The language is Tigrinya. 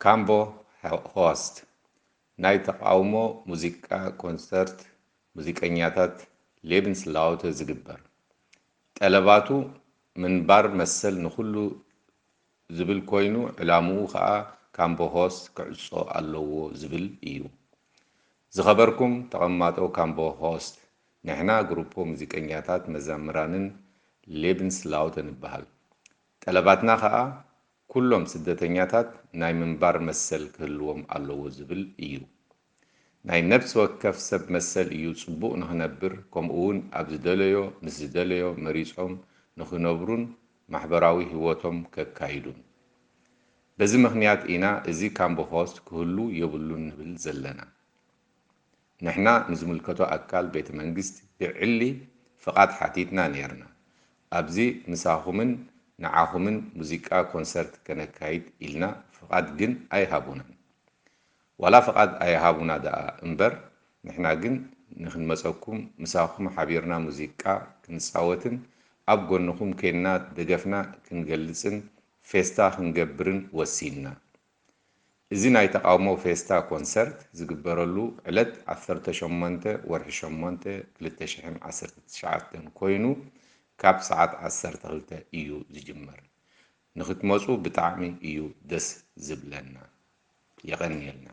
ካምቦ ሆስት ናይ ተቓውሞ ሙዚቃ ኮንሰርት ሙዚቀኛታት ሌብንስላውተ ዝግበር። ጠለባቱ ምንባር መሰል ንኹሉ ዝብል ኮይኑ ዕላምኡ ኸኣ ካምቦ ሆስት ክዕጾ ኣለዎ ዝብል እዩ። ዝኸበርኩም ተቐማጦ ካምቦ ሆስት፣ ንሕና ግሩፖ ሙዚቀኛታት መዛምራንን ሌብንስላውተ ንበሃል። ጠለባትና ኸኣ ኩሎም ስደተኛታት ናይ ምንባር መሰል ክህልዎም ኣለዎ ዝብል እዩ። ናይ ነፍሲ ወከፍ ሰብ መሰል እዩ ጽቡቕ ንኽነብር፣ ከምኡውን ኣብ ዝደለዮ ምስ ዝደለዮ መሪጾም ንኽነብሩን ማሕበራዊ ህይወቶም ከካይዱን። በዚ ምኽንያት ኢና እዚ ካምቦ ሆስት ክህሉ የብሉን ንብል ዘለና። ንሕና ንዝምልከቶ ኣካል ቤተ መንግስቲ ብዕሊ ፍቓድ ሓቲትና ነይርና። ኣብዚ ምሳኹምን ንዓኹምን ሙዚቃ ኮንሰርት ከነካይድ ኢልና ፍቓድ ግን ኣይሃቡናን። ዋላ ፍቓድ ኣይሃቡና ደኣ እምበር፣ ንሕና ግን ንኽንመጸኩም ምሳኹም ሓቢርና ሙዚቃ ክንጻወትን ኣብ ጎንኹም ኬንና ደገፍና ክንገልጽን ፌስታ ክንገብርን ወሲንና። እዚ ናይ ተቓውሞ ፌስታ ኮንሰርት ዝግበረሉ ዕለት ዓሰርተ ሸሞንተ ወርሒ ሸሞንተ ክልተ ሽሕን ዓሰርተ ትሽዓተን ኮይኑ ካብ ሰዓት ዓሰርተ ክልተ እዩ ዝጅመር። ንኽትመጹ ብጣዕሚ እዩ ደስ ዝብለና። የቐንየልና።